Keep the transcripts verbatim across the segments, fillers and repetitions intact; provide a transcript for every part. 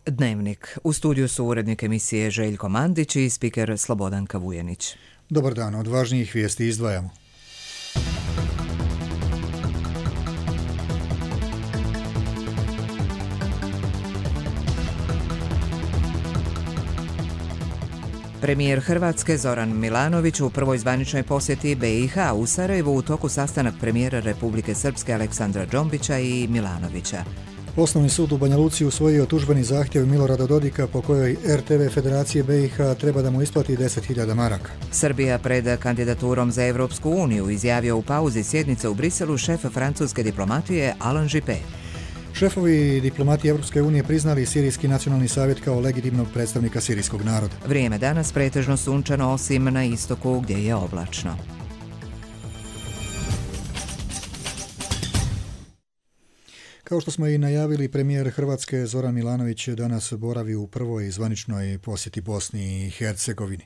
Dnevnik. U studiju su urednik emisije Željko Mandić i spiker Slobodanka Vujenić. Dobar dan, od važnijih vijesti izdvajamo. Premijer Hrvatske Zoran Milanović u prvoj zvaničnoj posjeti B i H u Sarajevu u toku sastanak premijera Republike Srpske Aleksandra Džombića i Milanovića. Osnovni sud u Banja Luci usvojio tužbeni zahtjev Milorada Dodika po kojoj R T V Federacije B i H treba da mu isplati deset hiljada maraka. Srbija pred kandidaturom za Evropsku uniju izjavio u pauzi sjednice u Briselu šef francuske diplomatije Alain Juppé. Šefovi diplomatije Evropske unije priznali Sirijski nacionalni savjet kao legitimnog predstavnika sirijskog naroda. Vrijeme danas pretežno sunčano osim na istoku gdje je oblačno. Kao što smo i najavili, premijer Hrvatske Zoran Milanović danas boravi u prvoj zvaničnoj posjeti Bosni i Hercegovini.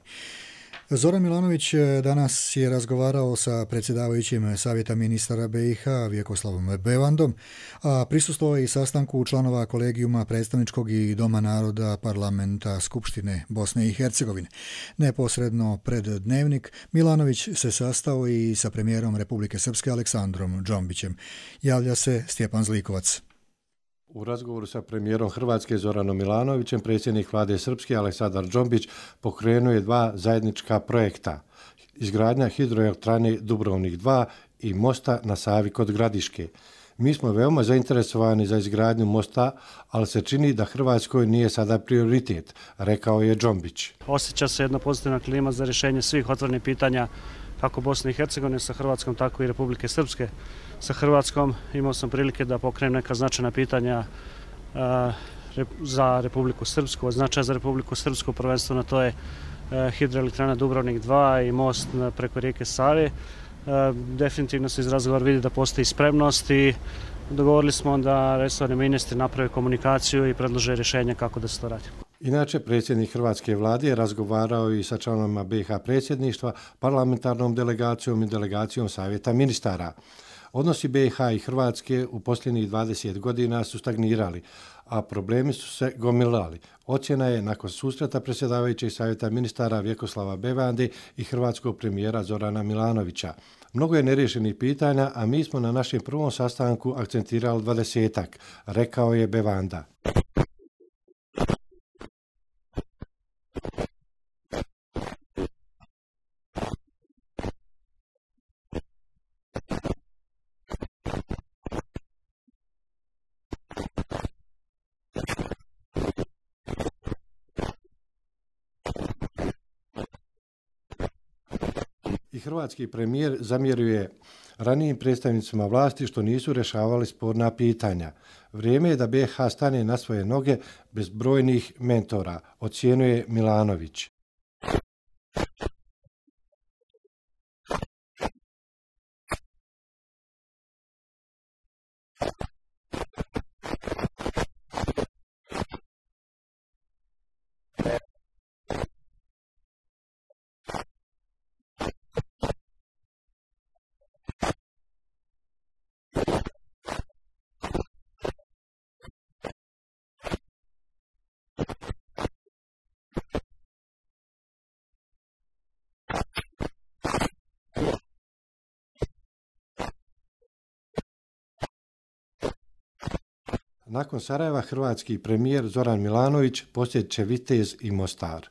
Zoran Milanović danas je razgovarao sa predsjedavajućim Savjeta ministara B i H Vjekoslavom Bevandom, a prisustvovao je i sastanku članova kolegijuma predstavničkog i Doma naroda parlamenta Skupštine Bosne i Hercegovine. Neposredno pred Dnevnik Milanović se sastao i sa premijerom Republike Srpske Aleksandrom Džombićem. Javlja se Stjepan Zlikovac. U razgovoru sa premijerom Hrvatske Zoranom Milanovićem, predsjednik vlade Srpske Aleksandar Džombić pokrenuo je dva zajednička projekta. Izgradnja hidroelektrane Dubrovnik dva i mosta na Savi kod Gradiške. Mi smo veoma zainteresovani za izgradnju mosta, ali se čini da Hrvatskoj nije sada prioritet, rekao je Džombić. Osjeća se jedna pozitivna klima za rješenje svih otvorenih pitanja kako Bosne i Hercegovine sa Hrvatskom, tako i Republike Srpske sa Hrvatskom. Imao sam prilike da pokrenem neka značajna pitanja a, re, za Republiku Srpsku. Od značaja za Republiku Srpsku prvenstveno to je a, hidroelektrana Dubrovnik dva i most preko rijeke Save. A, definitivno se iz razgovora vidi da postoji spremnost i dogovorili smo da resorni ministri naprave komunikaciju i predlože rješenje kako da se to radi. Inače, predsjednik Hrvatske vlade je razgovarao i sa članovima B i H predsjedništva, parlamentarnom delegacijom i delegacijom Savjeta ministara. Odnosi B i H i Hrvatske u posljednjih dvadeset godina su stagnirali, a problemi su se gomilali. Ocjena je nakon susreta predsjedavajućeg Savjeta ministara Vjekoslava Bevande i hrvatskog premijera Zorana Milanovića. Mnogo je neriješenih pitanja, a mi smo na našem prvom sastanku akcentirali dvadesetak, rekao je Bevanda. I hrvatski premijer zamjeruje ranijim predstavnicima vlasti što nisu rješavali sporna pitanja. Vrijeme je da B i H stane na svoje noge bez brojnih mentora, ocjenjuje Milanović. Nakon Sarajeva hrvatski premijer Zoran Milanović posjetit će Vitez i Mostar.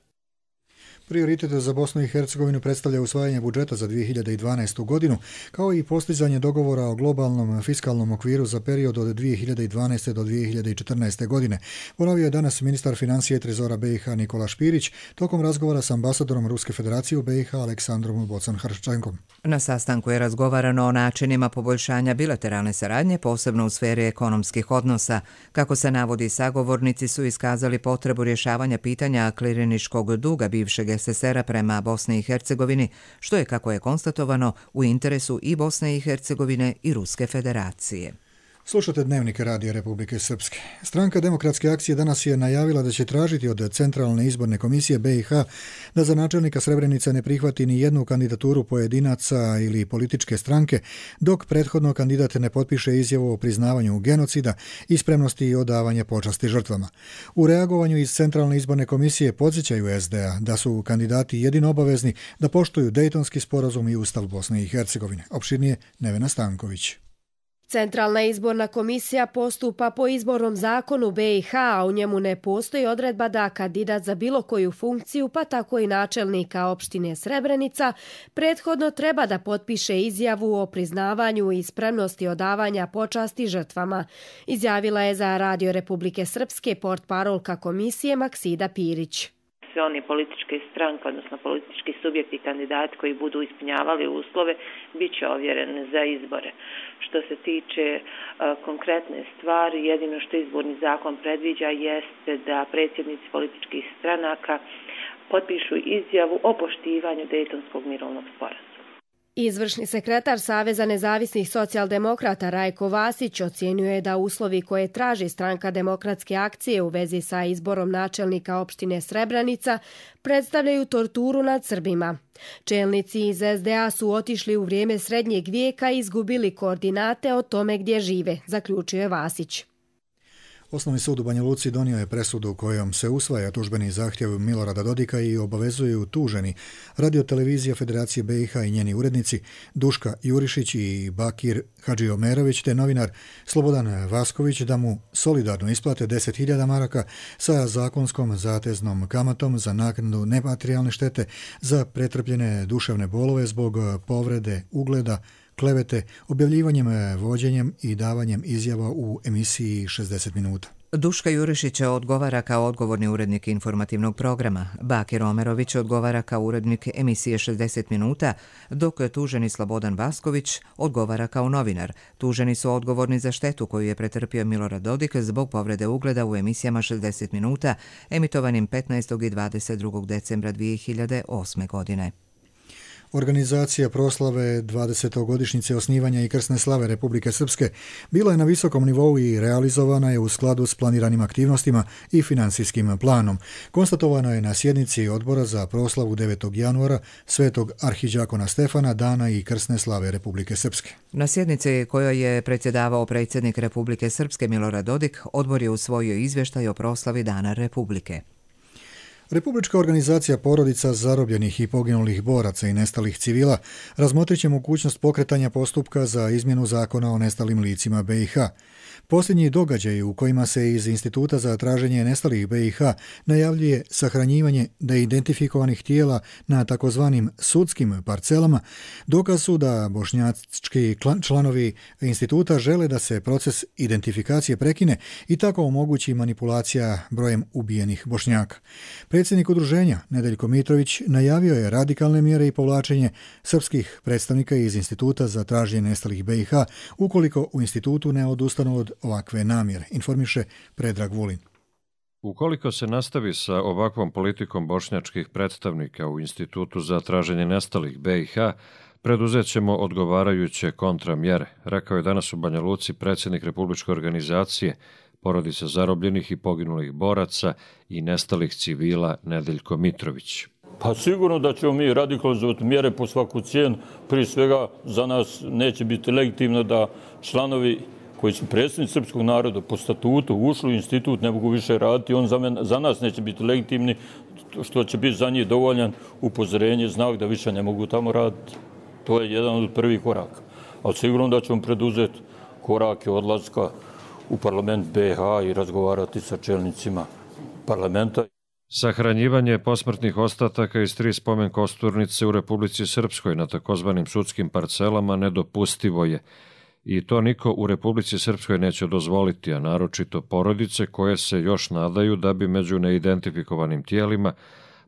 Prioritet za Bosnu i Hercegovinu predstavlja usvajanje budžeta za dvije hiljade dvanaestu godinu, kao i postizanje dogovora o globalnom fiskalnom okviru za period od dvije hiljade dvanaeste do dvije hiljade četrnaeste. godine. Ponovio je danas ministar financije i trezora B i H Nikola Špirić tokom razgovora s ambasadorom Ruske federacije u B i H Aleksandrom Bocan-Hrščenkom. Na sastanku je razgovarano o načinima poboljšanja bilateralne saradnje, posebno u sferi ekonomskih odnosa. Kako se navodi, sagovornici su iskazali potrebu rješavanja pitanja kliriničkog duga bivšeg S S R-a prema Bosni i Hercegovini, što je, kako je konstatovano, u interesu i Bosne i Hercegovine i Ruske federacije. Slušate Dnevnik Radija Republike Srpske. Stranka Demokratske akcije danas je najavila da će tražiti od Centralne izborne komisije B i H da za načelnika Srebrenica ne prihvati ni jednu kandidaturu pojedinaca ili političke stranke, dok prethodno kandidat ne potpiše izjavu o priznavanju genocida i spremnosti odavanja počasti žrtvama. U reagovanju iz Centralne izborne komisije podsjećaju S D A da su kandidati jedino obavezni da poštuju Dejtonski sporazum i Ustav Bosne i Hercegovine. Opširnije Nevena Stanković. Centralna izborna komisija postupa po izbornom zakonu B i H, a u njemu ne postoji odredba da kandidat za bilo koju funkciju, pa tako i načelnika opštine Srebrenica, prethodno treba da potpiše izjavu o priznavanju i spremnosti odavanja počasti žrtvama, izjavila je za Radio Republike Srpske portparolka komisije Maksida Pirić. Sve oni političke stranke, odnosno politički subjekti kandidati koji budu ispunjavali uslove, bit će ovjereni za izbore. Što se tiče uh, konkretne stvari, jedino što izborni zakon predviđa jeste da predsjednici političkih stranaka potpišu izjavu o poštivanju Dejtonskog mirovnog sporazuma. Izvršni sekretar Saveza nezavisnih socijaldemokrata Rajko Vasić ocjenjuje da uslovi koje traži Stranka Demokratske akcije u vezi sa izborom načelnika opštine Srebrenica predstavljaju torturu nad Srbima. Čelnici iz S D A su otišli u vrijeme srednjeg vijeka i izgubili koordinate o tome gdje žive, zaključuje Vasić. Osnovni sud u Banja Luci donio je presudu kojom se usvaja tužbeni zahtjev Milorada Dodika i obavezuju tuženi Radio-televizija Federacije B i H i njeni urednici Duška Jurišić i Bakir Hadžiomerović te novinar Slobodan Vasković da mu solidarno isplate deset hiljada maraka sa zakonskom zateznom kamatom za naknadu nematerijalne štete za pretrpljene duševne bolove zbog povrede ugleda, klevete, objavljivanjem, vođenjem i davanjem izjava u emisiji šezdeset minuta. Duška Jurišić odgovara kao odgovorni urednik informativnog programa. Bakir Omerović odgovara kao urednik emisije šezdeset minuta, dok tuženi Slobodan Vasković odgovara kao novinar. Tuženi su odgovorni za štetu koju je pretrpio Milorad Dodik zbog povrede ugleda u emisijama šezdeset minuta, emitovanim petnaestog i dvadeset drugog decembra dvije hiljade osme. godine. Organizacija proslave dvadesetogodišnjice osnivanja i krsne slave Republike Srpske bila je na visokom nivou i realizovana je u skladu s planiranim aktivnostima i finansijskim planom. Konstatovano je na sjednici Odbora za proslavu devetog januara Svetog arhidžakona Stefana, dana i krsne slave Republike Srpske. Na sjednici kojoj je predsjedavao predsjednik Republike Srpske Milorad Dodik, odbor je usvojio izvještaj o proslavi Dana Republike. Republička organizacija porodica zarobljenih i poginulih boraca i nestalih civila razmotrit će mogućnost pokretanja postupka za izmjenu zakona o nestalim licima B i H. Posljednji događaj u kojima se iz Instituta za traženje nestalih B i H najavljuje sahranjivanje neidentifikovanih tijela na takozvanim sudskim parcelama, dokaz su da bošnjački članovi instituta žele da se proces identifikacije prekine i tako omogući manipulacija brojem ubijenih Bošnjaka. Predsjednik udruženja Nedeljko Mitrović najavio je radikalne mjere i povlačenje srpskih predstavnika iz Instituta za traženje nestalih B i H ukoliko u institutu ne odustanu od ovakve namjere, informiše Predrag Vulin. Ukoliko se nastavi sa ovakvom politikom bošnjačkih predstavnika u Institutu za traženje nestalih B i H, preduzet ćemo odgovarajuće kontramjere, rekao je danas u Banja Luci predsjednik Republičke organizacije porodica zarobljenih i poginulih boraca i nestalih civila Nedeljko Mitrović. Pa sigurno da ćemo mi radikalizovati mjere po svaku cijenu. Prije svega za nas neće biti legitimno da članovi koji su predsjednici srpskog naroda po statutu ušli u institut ne mogu više raditi. On za, men, za nas neće biti legitimni, što će biti za njih dovoljan upozorenje, znak da više ne mogu tamo raditi. To je jedan od prvih koraka. Ali sigurno da ćemo preduzeti korake odlaska u parlament B i H i razgovarati sa čelnicima parlamenta. Sahranjivanje posmrtnih ostataka iz tri spomen kosturnice u Republici Srpskoj na takozvanim sudskim parcelama nedopustivo je. I to niko u Republici Srpskoj neće dozvoliti, a naročito porodice koje se još nadaju da bi među neidentifikovanim tijelima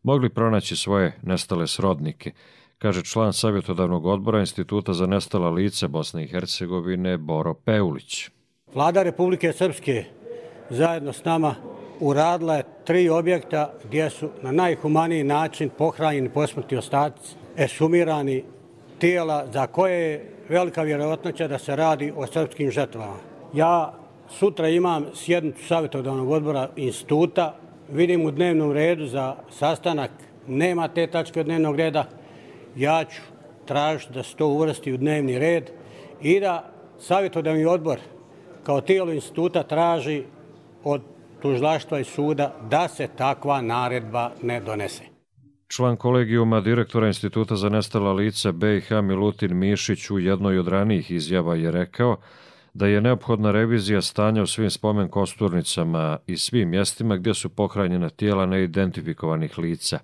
mogli pronaći svoje nestale srodnike, kaže član savjetodavnog odbora Instituta za nestala lica Bosne i Hercegovine Boro Peulić. Vlada Republike Srpske zajedno s nama uradila je tri objekta gdje su na najhumaniji način pohranjeni posmrtni ostaci, ekshumirani tijela za koje je velika vjerojatnoća da se radi o srpskim žrtvama. Ja sutra imam sjednicu savjetodavnog odbora instituta, vidim u dnevnom redu za sastanak nema te tačke od dnevnog reda, ja ću tražiti da se to uvrsti u dnevni red i da savjetodavni odbor kao tijelo instituta traži od tužilaštva i suda da se takva naredba ne donese. Član kolegijuma direktora Instituta za nestala lica B i H Milutin Mišić u jednoj od ranijih izjava je rekao da je neophodna revizija stanja u svim spomen kosturnicama i svim mjestima gdje su pohranjena tijela neidentifikovanih lica.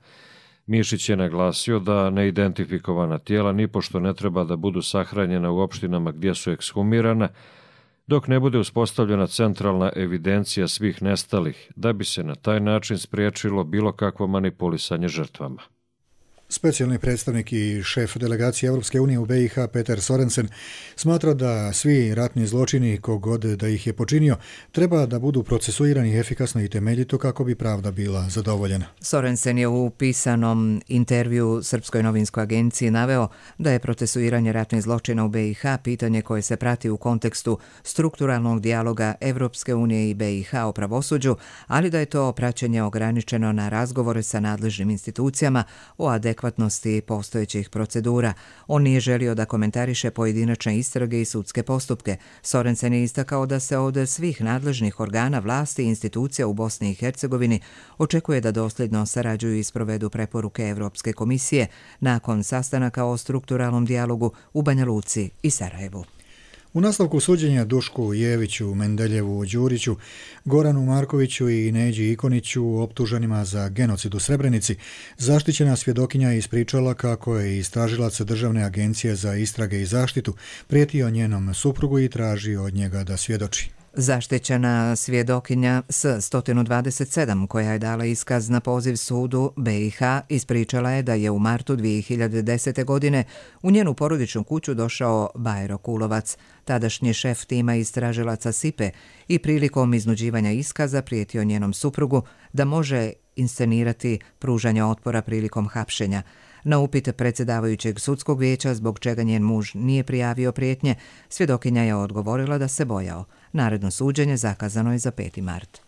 Mišić je naglasio da neidentifikovana tijela nipošto ne treba da budu sahranjena u opštinama gdje su ekshumirana, dok ne bude uspostavljena centralna evidencija svih nestalih, da bi se na taj način spriječilo bilo kakvo manipulisanje žrtvama. Specijalni predstavnik i šef delegacije Europske unije u B i H Peter Sorensen smatra da svi ratni zločini, kogod da ih je počinio, treba da budu procesuirani efikasno i temeljito kako bi pravda bila zadovoljena. Sorensen je u pisanom intervju Srpskoj novinskoj agenciji naveo da je procesuiranje ratnih zločina u B i H pitanje koje se prati u kontekstu strukturalnog dijaloga Europske unije i B i H o pravosuđu, ali da je to praćenje ograničeno na razgovore sa nadležnim institucijama o adekvatnosti adekvatnosti postojećih procedura. On nije želio da komentariše pojedinačne istrage i sudske postupke. Sorensen je istakao da se od svih nadležnih organa vlasti i institucija u Bosni i Hercegovini očekuje da dosljedno sarađuju i sprovedu preporuke Evropske komisije nakon sastanaka o strukturalnom dijalogu u Banja Luci i Sarajevu. U nastavku suđenja Dušku Jeviću, Mendeljevu Đuriću, Goranu Markoviću i Neđi Ikoniću optuženima za genocid u Srebrenici, zaštićena svjedokinja je ispričala kako je istražilac Državne agencije za istrage i zaštitu prijetio njenom suprugu i tražio od njega da svjedoči. Zaštićena svjedokinja S sto dvadeset sedam, koja je dala iskaz na poziv sudu B i H, ispričala je da je u martu dvije hiljade desete. godine u njenu porodičnu kuću došao Bajro Kulovac, tadašnji šef tima istražilaca S I P E, i prilikom iznuđivanja iskaza prijetio njenom suprugu da može inscenirati pružanje otpora prilikom hapšenja. Na upit predsjedavajućeg sudskog vijeća zbog čega njen muž nije prijavio prijetnje, svjedokinja je odgovorila da se bojao. Naredno suđenje zakazano je za peti mart.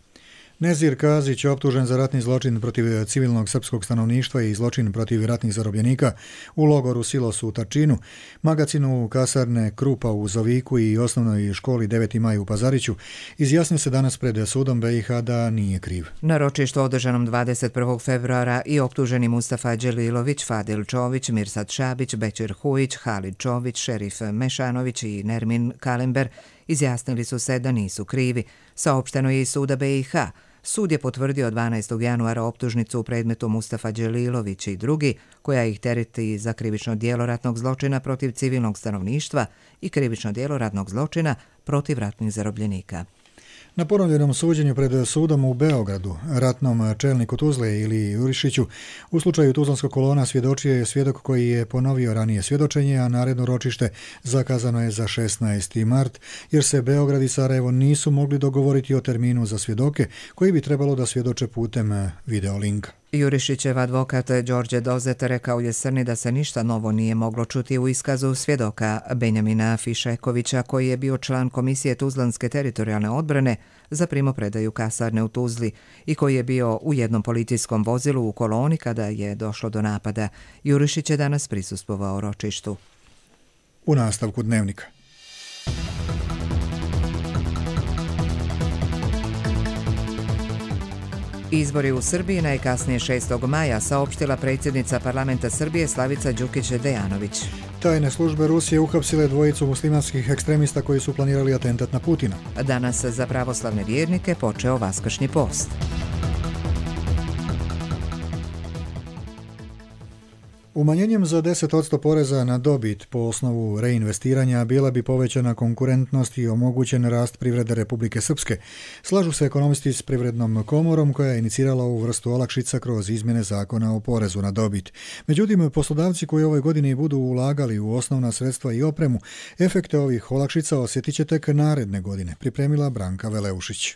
Nezir Kazić je optužen za ratni zločin protiv civilnog srpskog stanovništva i zločin protiv ratnih zarobljenika u logoru Silos u Tačinu, magacinu kasarne Krupa u Zoviku i osnovnoj školi deveti maj u Pazariću. Izjasnio se danas pred sudom B i H da nije kriv. Na ročištu održanom dvadeset prvog februara i optuženi Mustafa Đelilović, Fadil Čović, Mirsad Šabić, Bećir Hujić, Halid Čović, Šerif Mešanović i Nermin Kalember izjasnili su se da nisu krivi. Saopšteno je iz suda B i H. Sud je potvrdio dvanaestog januara optužnicu u predmetu Mustafa Đelilović i drugi, koja ih tereti za krivično djelo ratnog zločina protiv civilnog stanovništva i krivično djelo ratnog zločina protiv ratnih zarobljenika. Na ponovljenom suđenju pred sudom u Beogradu, ratnom čelniku Tuzle ili Jurišiću, u slučaju Tuzlanskog kolona svjedočio je svjedok koji je ponovio ranije svjedočenje, a naredno ročište zakazano je za šesnaesti mart, jer se Beograd i Sarajevo nisu mogli dogovoriti o terminu za svjedoke koji bi trebalo da svjedoče putem videolinka. Jurišićev advokat Đorđe Dozet rekao je Srni da se ništa novo nije moglo čuti u iskazu svjedoka Benjamina Fišekovića, koji je bio član Komisije Tuzlanske teritorijalne odbrane za primopredaju kasarne u Tuzli i koji je bio u jednom policijskom vozilu u koloni kada je došlo do napada. Jurišić je danas prisustvovao ročištu. U nastavku dnevnika. Izbori u Srbiji najkasnije šestog maja, saopštila predsjednica parlamenta Srbije Slavica Đukić-Dejanović. Tajne službe Rusije uhapsile dvojicu muslimanskih ekstremista koji su planirali atentat na Putina. Danas za pravoslavne vjernike počeo Vaskršnji post. Umanjenjem za deset posto poreza na dobit po osnovu reinvestiranja bila bi povećana konkurentnost i omogućen rast privrede Republike Srpske. Slažu se ekonomisti s Privrednom komorom koja je inicirala ovu vrstu olakšica kroz izmjene zakona o porezu na dobit. Međutim, poslodavci koji ove godine budu ulagali u osnovna sredstva i opremu, efekte ovih olakšica osjetit će tek naredne godine, pripremila Branka Veleušić.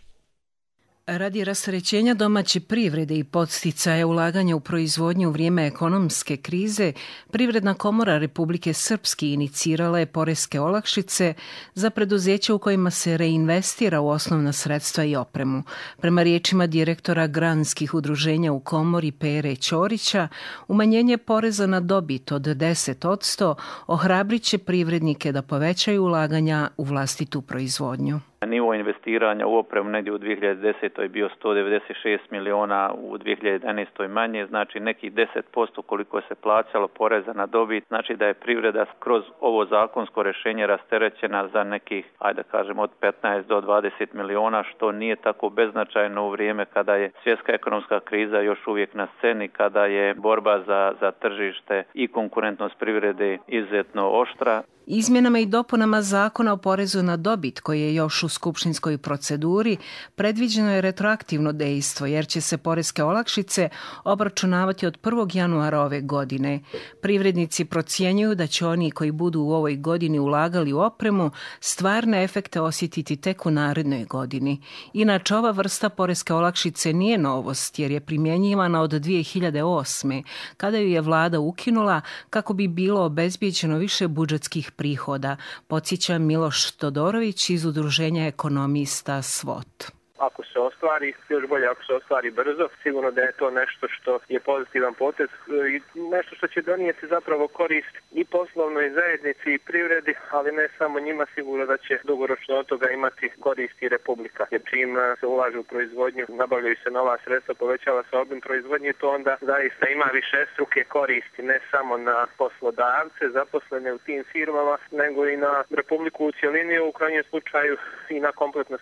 Radi rasterećenja domaće privrede i podsticaja ulaganja u proizvodnju u vrijeme ekonomske krize, Privredna komora Republike Srpske inicirala je poreske olakšice za preduzeća u kojima se reinvestira u osnovna sredstva i opremu. Prema riječima direktora granskih udruženja u komori Pere Ćorića, umanjenje poreza na dobit od deset posto ohrabrit će privrednike da povećaju ulaganja u vlastitu proizvodnju. Nivo investiranja u opremu negdje u dvije hiljade desetoj je bio sto devedeset šest miliona, u dvije hiljade jedanaestoj manje, znači nekih deset posto koliko se plaćalo poreza na dobit, znači da je privreda kroz ovo zakonsko rješenje rasterećena za nekih, ajde da kažemo, od petnaest do dvadeset miliona, što nije tako beznačajno u vrijeme kada je svjetska ekonomska kriza još uvijek na sceni, kada je borba za, za tržište i konkurentnost privrede izuzetno oštra. Izmjenama i dopunama zakona o porezu na dobit, koji je još u skupštinskoj proceduri, predviđeno je retroaktivno dejstvo, jer će se poreske olakšice obračunavati od prvog januara ove godine. Privrednici procjenjuju da će oni koji budu u ovoj godini ulagali u opremu stvarne efekte osjetiti tek u narednoj godini. Inače, ova vrsta poreske olakšice nije novost, jer je primjenjivana od dvije hiljade osme. kada ju je vlada ukinula kako bi bilo obezbijeđeno više budžetskih prihoda, podsjeća Miloš Todorović iz Udruženja ekonomista SWOT. Ako se ostvari, još bolje ako se ostvari brzo, sigurno da je to nešto što je pozitivan potez i nešto što će donijeti zapravo korist i poslovnoj zajednici i privredi, ali ne samo njima, sigurno da će dugoročno od toga imati korist i Republika. Jer čim se ulaže u proizvodnju, nabavljaju se nova sredstva, povećava se obim proizvodnje, to onda zaista ima višestruke koristi, ne samo na poslodavce, zaposlene u tim firmama, nego i na Republiku u cjelini, u krajnjem slučaju i na kompletno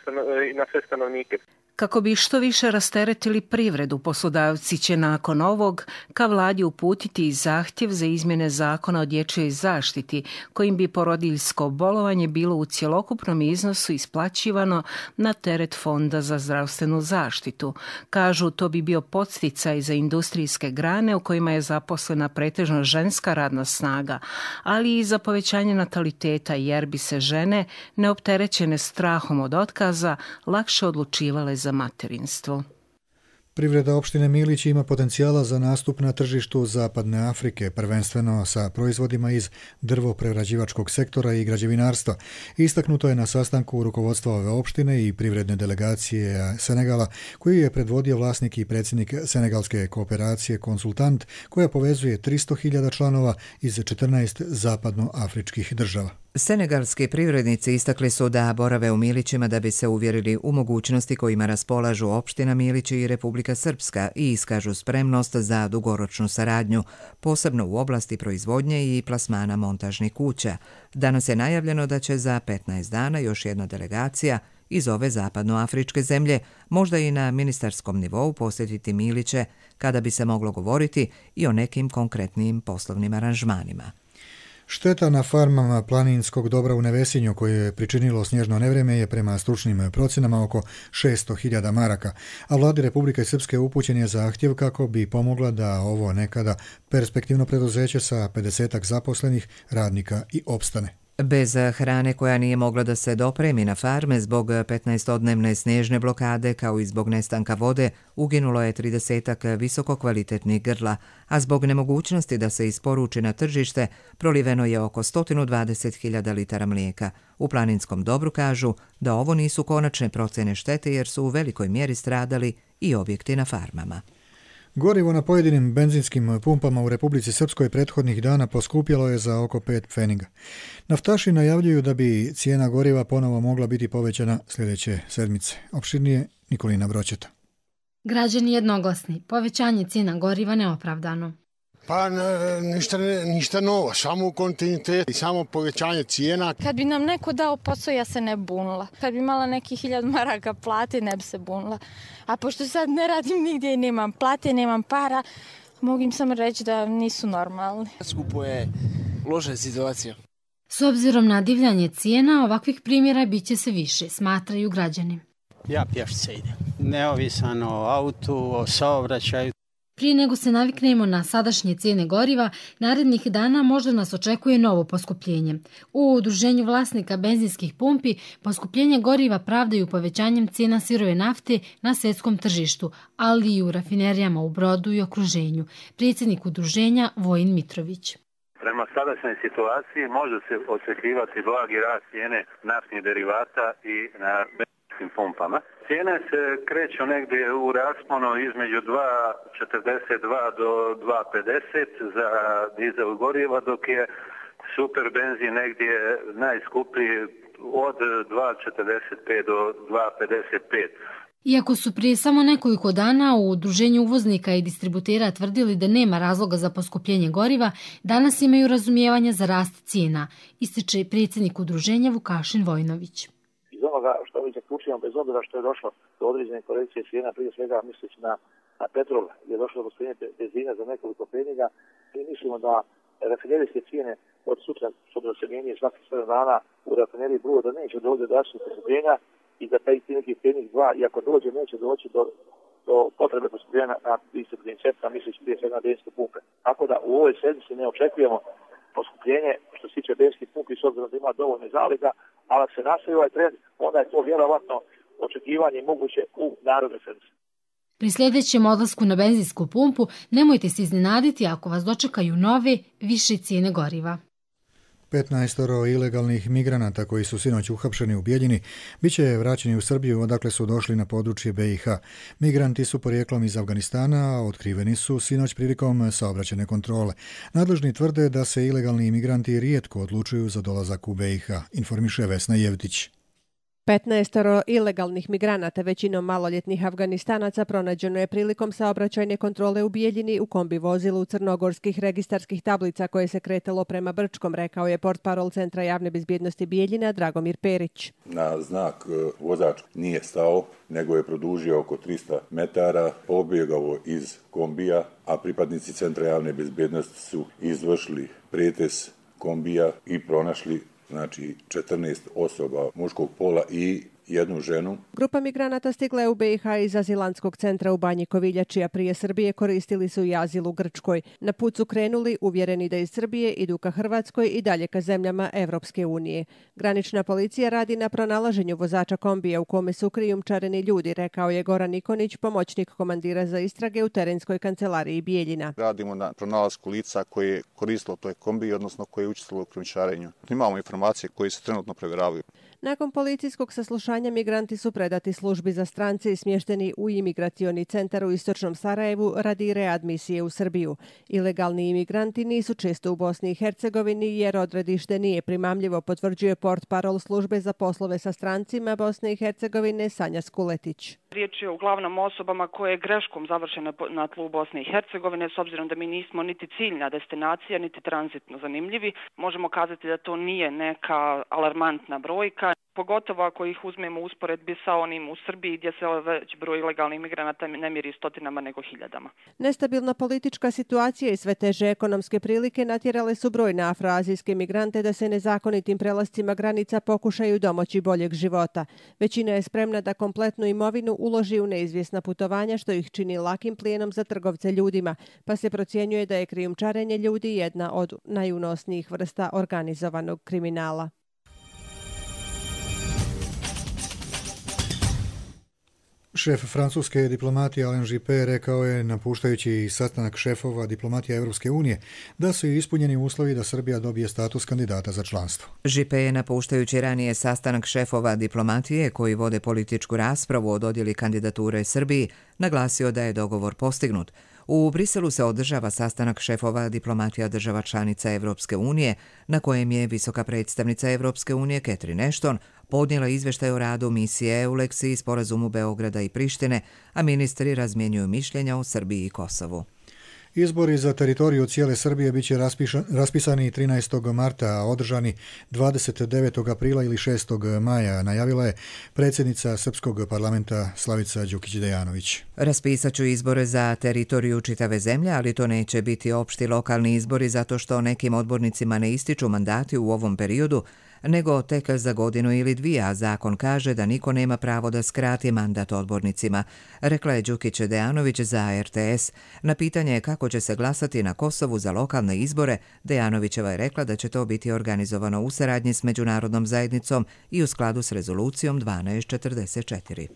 i na sve stanovnike. Kako bi što više rasteretili privredu, poslodavci će nakon ovog ka vladi uputiti i zahtjev za izmjene zakona o dječjoj zaštiti, kojim bi porodiljsko bolovanje bilo u cjelokupnom iznosu isplaćivano na teret Fonda za zdravstvenu zaštitu. Kažu, to bi bio podsticaj za industrijske grane u kojima je zaposlena pretežno ženska radna snaga, ali i za povećanje nataliteta, jer bi se žene, neopterećene strahom od otkaza, lakše odlučivale za materinstvo. Privreda opštine Milić ima potencijala za nastup na tržištu Zapadne Afrike, prvenstveno sa proizvodima iz drvoprerađivačkog sektora i građevinarstva. Istaknuto je na sastanku rukovodstva ove opštine i privredne delegacije Senegala, koju je predvodio vlasnik i predsjednik Senegalske kooperacije Konsultant, koja povezuje tristo hiljada članova iz četrnaest zapadnoafričkih država. Senegalski privrednici istakli su da borave u Milićima da bi se uvjerili u mogućnosti kojima raspolažu opština Milići i Republika Srpska i iskažu spremnost za dugoročnu saradnju, posebno u oblasti proizvodnje i plasmana montažnih kuća. Danas je najavljeno da će za petnaest dana još jedna delegacija iz ove zapadnoafričke zemlje, možda i na ministarskom nivou, posjetiti Miliće, kada bi se moglo govoriti i o nekim konkretnim poslovnim aranžmanima. Šteta na farmama planinskog dobra u Nevesinju koju je pričinilo snježno nevrijeme je prema stručnim procjenama oko šesto hiljada maraka, a vladi Republike Srpske upućen je zahtjev kako bi pomogla da ovo nekada perspektivno preduzeće sa pedesetak zaposlenih radnika i opstane. Bez hrane koja nije mogla da se dopremi na farme zbog petnaestodnevne snježne blokade kao i zbog nestanka vode, uginulo je tridesetak visokokvalitetnih grla, a zbog nemogućnosti da se isporuči na tržište proliveno je oko sto dvadeset hiljada litara mlijeka. U planinskom dobru kažu da ovo nisu konačne procjene štete jer su u velikoj mjeri stradali i objekti na farmama. Gorivo na pojedinim benzinskim pumpama u Republici Srpskoj prethodnih dana poskupjelo je za oko pet pfeniga. Naftaši najavljuju da bi cijena goriva ponovo mogla biti povećana sljedeće sedmice. Opširnije Nikolina Broćeta. Građani jednoglasni, povećanje cijena goriva neopravdano. Pa ništa, ništa novo, samo u kontinuitetu i samo povećanje cijena. Kad bi nam neko dao posao, ja se ne bunila. Kad bi imala neki hiljad maraka plate, ne bi se bunila. A pošto sad ne radim nigdje i nemam plate, nemam para, mogu im samo reći da nisu normalni. Skupo je loša situacija. S obzirom na divljanje cijena, ovakvih primjera bit će se više, smatraju građani. Ja pješce idem. Neovisan o autu, o saobraćaju. Prije nego se naviknemo na sadašnje cijene goriva, narednih dana možda nas očekuje novo poskupljenje. U udruženju vlasnika benzinskih pumpi poskupljenje goriva pravdaju povećanjem cijena sirove nafte na svjetskom tržištu, ali i u rafinerijama u Brodu i okruženju. Predsjednik udruženja Vojin Mitrović. Prema sadašnjoj situaciji može se očekivati blagi rast cijene naftnih derivata i na benzinskim pumpama. Cijene se kreću negdje u rasponu između dva četrdeset dva do dva pedeset za dizel goriva, dok je super benzin negdje najskuplji od dva četrdeset pet do dva pedeset pet. Iako su prije samo nekoliko dana u udruženju uvoznika i distributera tvrdili da nema razloga za poskupljenje goriva, danas imaju razumijevanja za rast cijena, ističe predsjednik udruženja Vukašin Vojnović. Iz onoga što mi zaključujemo, bez obzira što je došlo do određene korekcije cijena, prije svega misleći na, na petrol, gdje je došlo do poskupljenja benzina za nekoliko peniga, mi mislimo da rafinerijske cijene od sutra, što bi se mijenije svakih sedam dana u rafineriji Brod, da neće doći do drastičnog poskupljenja i da taj neki penik dva, i ako dođe, neće doći do, do potrebe poskupljenja na distributivnim centrima, misleći prije svega na benzinske pumpe. Tako da u ovoj sedmici ne očekujemo poskupljenje što se tiče benzinskih pumpi, s obzirom da ima dovoljne zaliga, ali ako se nastavi ovaj trend, onda je to vjerovatno očekivanje moguće u narodnoj sedmici. Pri sljedećem odlasku na benzinsku pumpu nemojte se iznenaditi ako vas dočekaju nove, više cijene goriva. petnaestoro ilegalnih migranata koji su sinoć uhapšeni u Bijeljini bit će vraćeni u Srbiju odakle su došli na područje B i H. Migranti su porijeklom iz Afganistana, a otkriveni su sinoć prilikom saobraćajne kontrole. Nadležni tvrde da se ilegalni migranti rijetko odlučuju za dolazak u B i H, informiše Vesna Jevtić. petnaestoro ilegalnih migranata, većinom maloljetnih Afganistanaca, pronađeno je prilikom saobraćajne kontrole u Bijeljini u kombi vozilu crnogorskih registarskih tablica koje se kretalo prema Brčkom, rekao je portparol Centra javne bezbjednosti Bijeljina Dragomir Perić. Na znak vozač nije stao, nego je produžio oko trista metara, pobjegao iz kombija, a pripadnici Centra javne bezbjednosti su izvršili pretres kombija i pronašli znači četrnaest osoba muškog pola i jednu ženu. Grupa migranata stigla je u B i H iz azilantskog centra u Banji Koviljači, a prije Srbije koristili su i azil u Grčkoj. Na put su krenuli uvjereni da iz Srbije idu ka Hrvatskoj i dalje ka zemljama Evropske unije. Granična policija radi na pronalaženju vozača kombija u kome su krijumčareni ljudi, rekao je Goran Nikonić, pomoćnik komandira za istrage u terenskoj kancelariji Bijeljina. Radimo na pronalasku lica koje je koristilo toj kombiji, odnosno koje je učestvovalo u krijumčarenju. Imamo informacije koje se trenutno provjeravaju. Nakon policijskog saslušanja migranti su predati službi za strance i smješteni u imigracioni centar u istočnom Sarajevu radi readmisije u Srbiju. Ilegalni imigranti nisu često u Bosni i Hercegovini jer odredište nije primamljivo, potvrđuje portparol službe za poslove sa strancima Bosne i Hercegovine Sanja Skuletić. Riječ je uglavnom osobama koje je greškom završene na tlu Bosne i Hercegovine, s obzirom da mi nismo niti ciljna destinacija, niti tranzitno zanimljivi. Možemo kazati da to nije neka alarmantna brojka, pogotovo ako ih uzmemo u usporedbi sa onim u Srbiji gdje se već broj ilegalnih migranata ne mjeri stotinama nego hiljadama. Nestabilna politička situacija i sve teže ekonomske prilike natjerale su brojne afroazijske migrante da se nezakonitim prelascima granica pokušaju domoći boljeg života. Većina je spremna da kompletnu imovinu uloži u neizvjesna putovanja, što ih čini lakim plijenom za trgovce ljudima, pa se procjenjuje da je krijumčarenje ljudi jedna od najunosnijih vrsta organizovanog kriminala. Šef francuske diplomatije Alain Juppé rekao je, napuštajući sastanak šefova diplomatija Evropske unije, da su ispunjeni uslovi da Srbija dobije status kandidata za članstvo. Juppé je, napuštajući ranije sastanak šefova diplomatije koji vode političku raspravu o dodjeli kandidature Srbiji, naglasio da je dogovor postignut. U Briselu se održava sastanak šefova diplomatija država članica Evropske unije, na kojem je visoka predstavnica Evropske unije Catherine Ashton podnijela izvještaj o radu misije EULEX i sporazumu Beograda i Prištine, a ministri razmjenjuju mišljenja o Srbiji i Kosovu. Izbori za teritoriju cijele Srbije bit će raspisani trinaestog marta, a održani dvadeset devetog aprila ili šestog maja, najavila je predsjednica Srpskog parlamenta Slavica Đukić-Dejanović. Raspisat ću izbore za teritoriju čitave zemlje, ali to neće biti opšti lokalni izbori zato što nekim odbornicima ne ističu mandati u ovom periodu, nego tek za godinu ili dvije, a zakon kaže da niko nema pravo da skrati mandat odbornicima, rekla je Đukić Dejanović za R T S. Na pitanje kako će se glasati na Kosovu za lokalne izbore, Dejanovićeva je rekla da će to biti organizovano u saradnji s međunarodnom zajednicom i u skladu s rezolucijom dvanaest četrdeset četiri.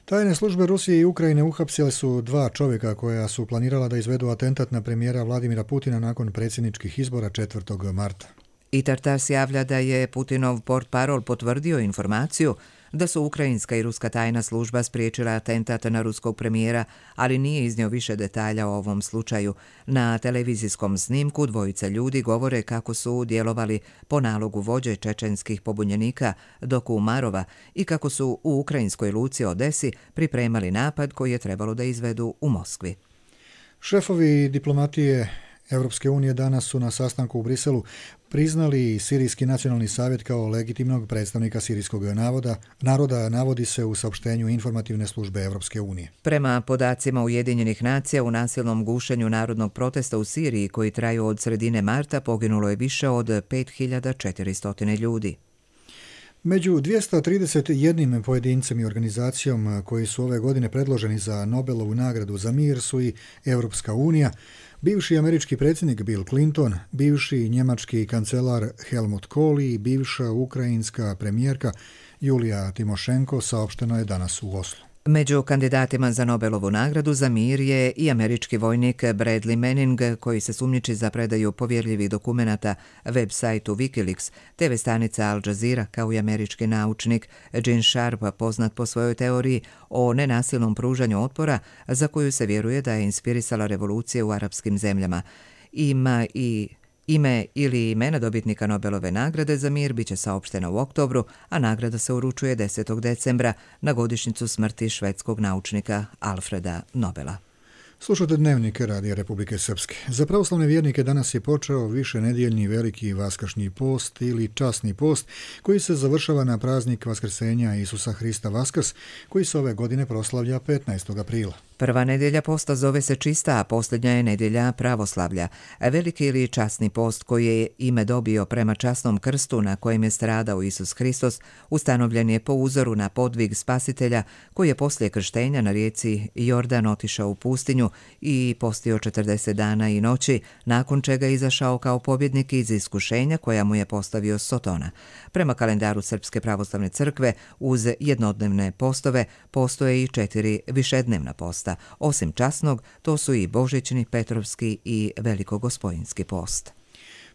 Tajne službe Rusije i Ukrajine uhapsile su dva čovjeka koja su planirala da izvedu atentat na premijera Vladimira Putina nakon predsjedničkih izbora četvrtog marta. I Tartas javlja da je Putinov portparol potvrdio informaciju da su ukrajinska i ruska tajna služba spriječila atentat na ruskog premijera, ali nije iznio više detalja o ovom slučaju. Na televizijskom snimku dvojica ljudi govore kako su djelovali po nalogu vođe čečenskih pobunjenika Doku Umarova i kako su u ukrajinskoj luci Odesi pripremali napad koji je trebalo da izvedu u Moskvi. Šefovi diplomatije Europske unije danas su na sastanku u Briselu priznali Sirijski nacionalni savjet kao legitimnog predstavnika sirijskog naroda, naroda navodi se u saopštenju informativne službe Europske unije. Prema podacima Ujedinjenih nacija, u nasilnom gušenju narodnog protesta u Siriji koji traju od sredine marta poginulo je više od pet hiljada četiristo ljudi. Među dvjesto trideset jedan pojedincem i organizacijom koji su ove godine predloženi za Nobelovu nagradu za mir su i Europska unija, bivši američki predsjednik Bill Clinton, bivši njemački kancelar Helmut Kohl i bivša ukrajinska premijerka Julija Timošenko, saopšteno je danas u Oslu. Među kandidatima za Nobelovu nagradu za mir je i američki vojnik Bradley Manning, koji se sumnjiči za predaju povjerljivih dokumenata web sajtu Wikileaks, te ve stanica Al Jazeera, kao i američki naučnik Gene Sharp, poznat po svojoj teoriji o nenasilnom pružanju otpora, za koju se vjeruje da je inspirisala revolucije u arapskim zemljama. Ima i Ime ili imena dobitnika Nobelove nagrade za mir biće saopštena u oktobru, a nagrada se uručuje desetog decembra na godišnjicu smrti švedskog naučnika Alfreda Nobela. Slušate Dnevnik Radija Republike Srpske. Za pravoslavne vjernike danas je počeo višenedjeljni veliki vaskršnji post ili časni post koji se završava na praznik Vaskrsenja Isusa Hrista Vaskrs, koji se ove godine proslavlja petnaestog aprila. Prva nedjelja posta zove se čista, a posljednja je nedjelja pravoslavlja. Veliki ili časni post, koji je ime dobio prema časnom krstu na kojem je stradao Isus Hristos, ustanovljen je po uzoru na podvig Spasitelja koji je poslije krštenja na rijeci Jordan otišao u pustinju i postio četrdeset dana i noći, nakon čega je izašao kao pobjednik iz iskušenja koja mu je postavio Sotona. Prema kalendaru Srpske pravoslavne crkve, uz jednodnevne postove postoje i četiri višednevna posta. Osim časnog, to su i božićni, petrovski i velikogospojinski post.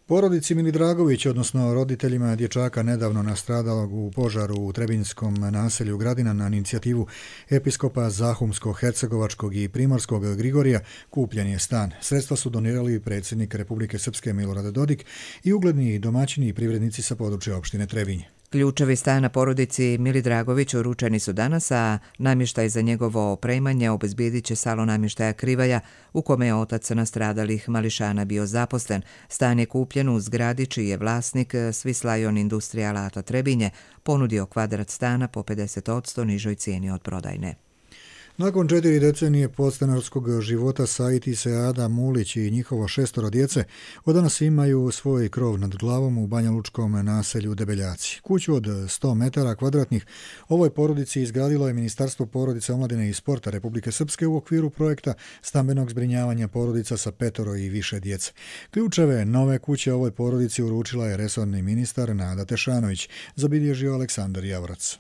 Porodici Milidragović, odnosno roditeljima dječaka nedavno nastradalog u požaru u Trebinskom naselju Gradina, na inicijativu episkopa Zahumsko-Hercegovačkog i Primorskog Grigorija, kupljen je stan. Sredstva su donirali predsjednik Republike Srpske Milorad Dodik i ugledni domaćini i privrednici sa područja opštine Trebinje. Ključevi stana porodici Milidragović uručeni su danas, a namještaj za njegovo opremanje obezbijedit će salon namještaja Krivaja, u kome je otac nastradalih mališana bio zaposlen. Stan je kupljen u zgradi čiji je vlasnik Swiss Industrial Alata Trebinje ponudio kvadrat stana po pedeset posto nižoj cijeni od prodajne. Nakon četiri decenije podstanarskog života Said i Seada Mulić i njihovo šestoro djece od danas imaju svoj krov nad glavom u banjalučkom naselju Debeljaci. Kuću od sto metara kvadratnih ovoj porodici izgradilo je Ministarstvo porodice, omladine i sporta Republike Srpske u okviru projekta stambenog zbrinjavanja porodica sa petoro i više djece. Ključeve nove kuće ovoj porodici uručila je resorni ministar Nada Tešanović, zabilježio Aleksandar Javorac.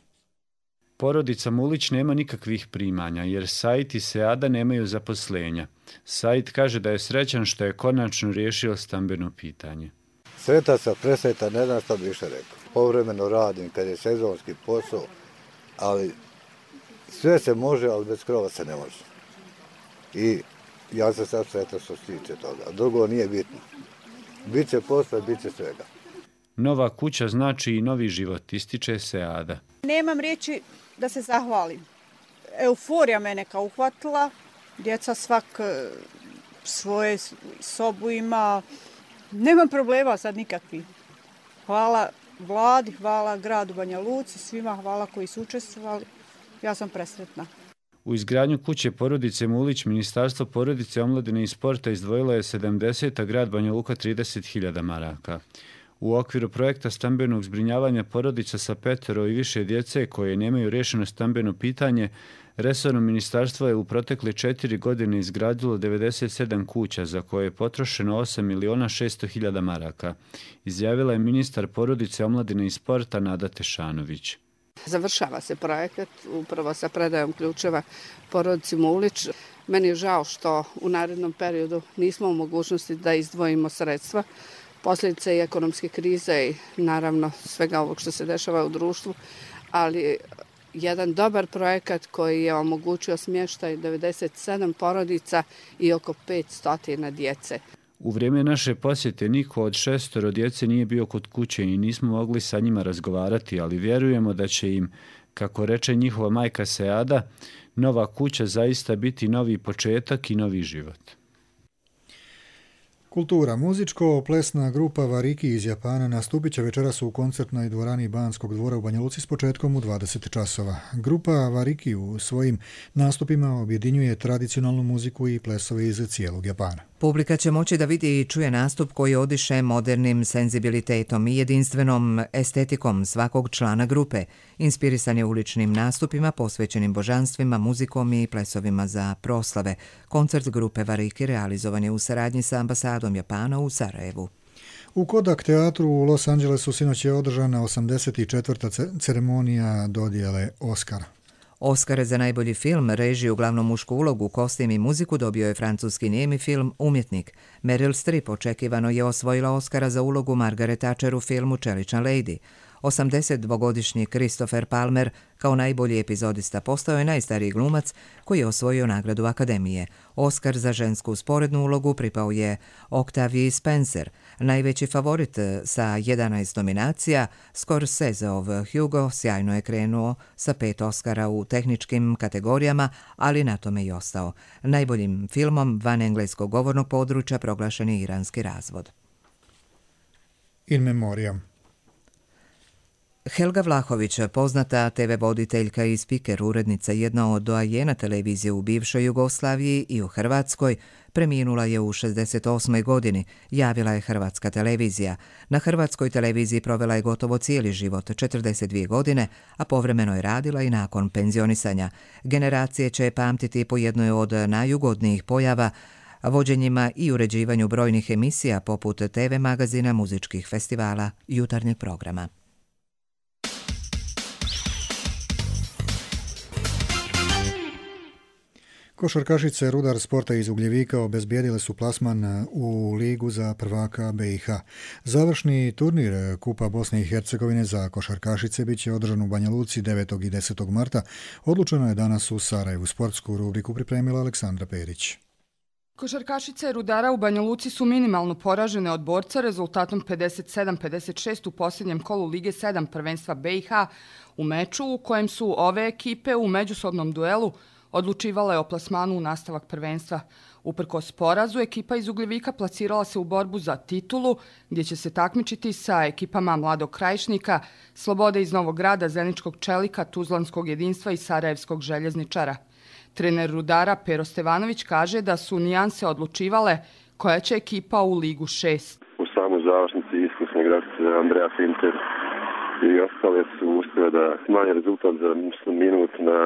Porodica Mulić nema nikakvih primanja, jer Said i Seada nemaju zaposlenja. Said kaže da je srećan što je konačno riješio stambeno pitanje. Sretan sam, presretan, ne znam što bi više rekao. Povremeno radim kad je sezonski posao, ali sve se može, ali bez krova se ne može. I ja sam sad sretan što se tiče toga. Drugo nije bitno. Biće posla, biće svega. Nova kuća znači i novi život, ističe Seada. Nemam riječi da se zahvalim. Euforija mene kao uhvatila. Djeca svak svoje sobu ima. Nemam problema sad nikakvi. Hvala vladi, hvala gradu Banja Luci, svima hvala koji su učestvovali. Ja sam presretna. U izgradnju kuće porodice Mulić Ministarstvo porodice, omladine i sporta izdvojilo je sedamdeset, a grad Banja Luka trideset hiljada maraka. U okviru projekta stambenog zbrinjavanja porodica sa petero i više djece koje nemaju rješeno stambeno pitanje, resorno ministarstvo je u protekle četiri godine izgradilo devedeset sedam kuća za koje je potrošeno osam miliona šesto hiljada maraka, izjavila je ministar porodice, omladine i sporta Nada Tešanović. Završava se projekat upravo sa predajom ključeva porodici Mulić. Meni je žao što u narednom periodu nismo u mogućnosti da izdvojimo sredstva. Posljedice i ekonomske krize i naravno svega ovog što se dešava u društvu, ali jedan dobar projekat koji je omogućio smještaj devedeset sedam porodica i oko petsto djece. U vrijeme naše posjete niko od šestoro djece nije bio kod kuće i nismo mogli sa njima razgovarati, ali vjerujemo da će im, kako reče njihova majka Seada, nova kuća zaista biti novi početak i novi život. Kultura. Muzičko-plesna grupa Variki iz Japana nastupit će večeras u koncertnoj dvorani Banskog dvora u Banja Luci s početkom u dvadeset časova. Grupa Variki u svojim nastupima objedinjuje tradicionalnu muziku i plesove iz cijelog Japana. Publika će moći da vidi i čuje nastup koji odiše modernim senzibilitetom i jedinstvenom estetikom svakog člana grupe. Inspirisan je uličnim nastupima posvećenim božanstvima, muzikom i plesovima za proslave. Koncert grupe Variki realizovan je u saradnji sa ambasadom Japana u Sarajevu. U Kodak teatru u Los Angelesu sinoć je održana osamdeset četvrta ceremonija dodjele Oscara. Oskare za najbolji film, režiju, glavnu mušku ulogu, kostim i muziku dobio je francuski nijemi film Umjetnik. Meryl Streep očekivano je osvojila Oskara za ulogu Margaret Thatcher u filmu Čelična lady. osamdesetdvogodišnji Christopher Palmer kao najbolji epizodista postao je najstariji glumac koji je osvojio nagradu Akademije. Oskar za žensku sporednu ulogu pripao je Octavii Spencer. Najveći favorit sa jedanaest nominacija, Scorseseov Hugo sjajno je krenuo sa pet Oskara u tehničkim kategorijama, ali na tome i ostao. Najboljim filmom van engleskog govornog područja proglašen je Iranski razvod. In memoriam. Helga Vlahović, poznata te ve voditeljka i spiker, urednica, jedna od doajena televizije u bivšoj Jugoslaviji i u Hrvatskoj, preminula je u šezdeset osmoj godini, javila je Hrvatska televizija. Na Hrvatskoj televiziji provela je gotovo cijeli život, četrdeset dvije godine, a povremeno je radila i nakon penzionisanja. Generacije će pamtiti po jednoj od najugodnijih pojava, vođenjima i uređivanju brojnih emisija poput te ve magazina, muzičkih festivala, jutarnjeg programa. Košarkašice Rudar Sporta iz Ugljevika obezbijedile su plasman u ligu za prvaka be i ha. Završni turnir Kupa Bosne i Hercegovine za košarkašice bit će održan u Banja Luci devetog i desetog marta. Odlučeno je danas u Sarajevu. Sportsku rubriku pripremila Aleksandra Perić. Košarkašice Rudara u Banja Luci su minimalno poražene od Borca rezultatom pedeset sedam pedeset šest u posljednjem kolu Lige sedam prvenstva be i ha u meču u kojem su ove ekipe u međusobnom duelu odlučivala o plasmanu u nastavak prvenstva. Uprkos porazu, ekipa iz Ugljevika plasirala se u borbu za titulu, gdje će se takmičiti sa ekipama Mladog Krajišnika, Slobode iz Novog Grada, Zeničkog Čelika, Tuzlanskog jedinstva i Sarajevskog željezničara. Trener Rudara Pero Stevanović kaže da su nijanse odlučivale koja će ekipa u Ligu šest. U samoj završnici iskusne igračice Andreja Finter i ostale su uspjeli da smanje rezultat za minut na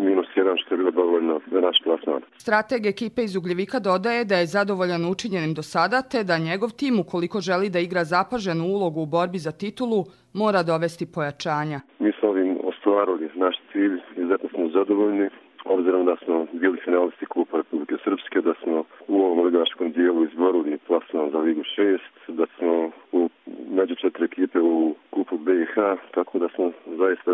minus jedan, što je bilo dovoljno za naš plasman. Strateg ekipe iz Ugljevika dodaje da je zadovoljan učinjenim do sada, te da njegov tim, ukoliko želi da igra zapaženu ulogu u borbi za titulu, mora dovesti pojačanja. Mi smo ovim ostvarili naš cilj i zato smo zadovoljni, obzirom da smo bili finalisti Kupa Republike Srpske, da smo u ovom ligaškom dijelu izborili plasman za Ligu šest, da smo u među četiri ekipe u Kupu be i ha, tako da smo zaista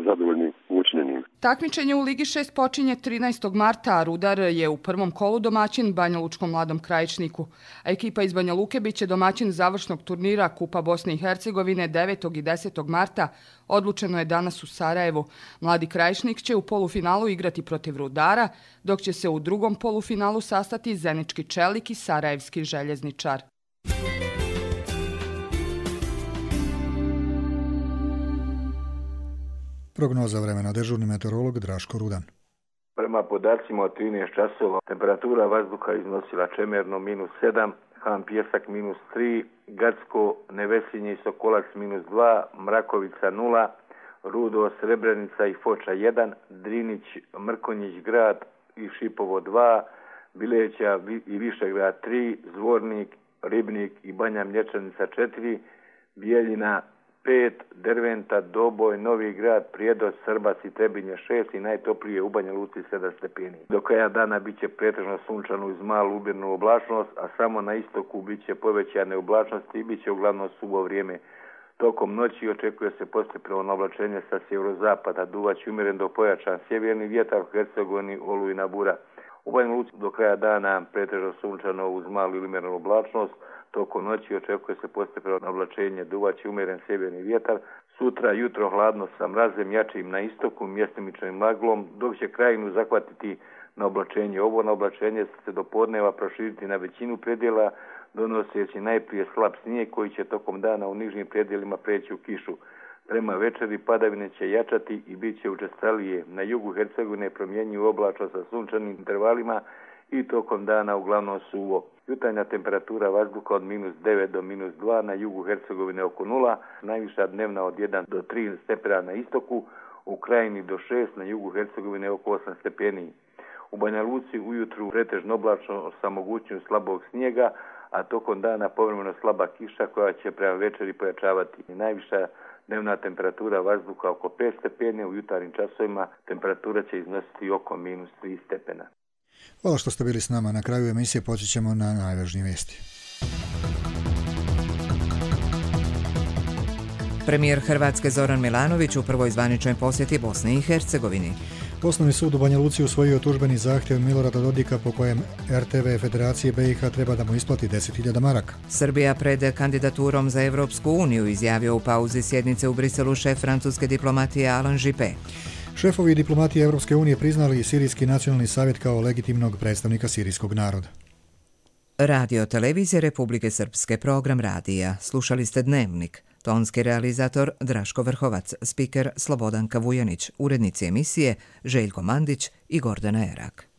zadovoljni učinjenim. Takmičenje u Ligi šest počinje trinaestog marta, a Rudar je u prvom kolu domaćin Banja Lučkom Mladom Krajišniku. A ekipa iz Banja Luke biće domaćin završnog turnira Kupa Bosne i Hercegovine devetog i desetog marta. Odlučeno je danas u Sarajevu. Mladi Krajišnik će u polufinalu igrati protiv Rudara, dok će se u drugom polufinalu sastati Zenički Čelik i Sarajevski željezničar. Prognoza vremena, dežurni meteorolog Draško Rudan. Prema podacima od trinaest časova temperatura vazduha iznosila čemerno minus sedam, Han Pjesak minus tri, Gacko, Nevesinje i Sokolac minus dva, Mrakovica nula, Rudo, Srebrenica i Foča jedan, Drinić, Mrkonjić grad i Šipovo dva, Bileća i Višegrad tri, Zvornik, Ribnik i Banja Mlječanica četiri, Bijeljina pet, Derventa, Doboj, Novi grad, Prijedoć, Srbac i Trebinje šest i najtoplije u Banja Luci sedam stepeni. Do kraja dana bit će pretežno sunčano uz malu umjerenu oblačnost, a samo na istoku bit će povećane oblačnosti i bit će uglavnom suvo vrijeme. Tokom noći očekuje se postepeno oblačenje sa sjeverozapada, duvaće umjeren do pojačan sjeverni vjetar u Hercegovini, olujna bura. U Banja Luci do kraja dana pretežno sunčano uz malu ili umjerenu oblačnost, tokom noći očekuje se postepeno oblačenje, duvaće umjeren sjeverni vjetar. Sutra jutro hladno sa mrazem jačim na istoku, mjestimičnim maglom, dok će krajinu zahvatiti na oblačenje. Ovo na oblačenje se do podneva proširiti na većinu predjela, donoseći najprije slab snijeg koji će tokom dana u nižim predjelima preći u kišu. Prema večeri padavine će jačati i bit će učestalije. Na jugu Hercegovine promjenjuju oblačno sa sunčanim intervalima i tokom dana uglavnom suvo. Jutarnja temperatura vazduha od minus devet do minus dva, na jugu Hercegovine oko nula, najviša dnevna od jedan do tri stepena na istoku, u krajini do šest, na jugu Hercegovine oko osam stepeni. U Banja Luci ujutru pretežno oblačno sa mogućnošću slabog snijega, a tokom dana povremeno slaba kiša koja će prema večeri pojačavati. Najviša dnevna temperatura vazduha oko pet stepeni, u jutarnjim časovima temperatura će iznositi oko minus tri stepena. Hvala što ste bili s nama. Na kraju emisije počet ćemo na najvažnije vijesti. Premijer Hrvatske Zoran Milanović u prvoj zvaničnoj posjeti Bosni i Hercegovini. Osnovni sud u Banja Luci usvojio tužbeni zahtjev Milorada Dodika po kojem er te ve Federacije be i ha treba da mu isplati deset hiljada maraka. Srbija pred kandidaturom za Evropsku uniju, izjavio u pauzi sjednice u Briselu šef francuske diplomatije Alain Juppé. Šefovi diplomatije Evropske unije priznali Sirijski nacionalni savjet kao legitimnog predstavnika sirijskog naroda. Radio televizije Republike Srpske, program radija. Slušali ste Dnevnik. Tonski realizator Draško Vrhovac, spiker Slobodanka Vujanić, urednici emisije Željko Mandić i Gordana Erak.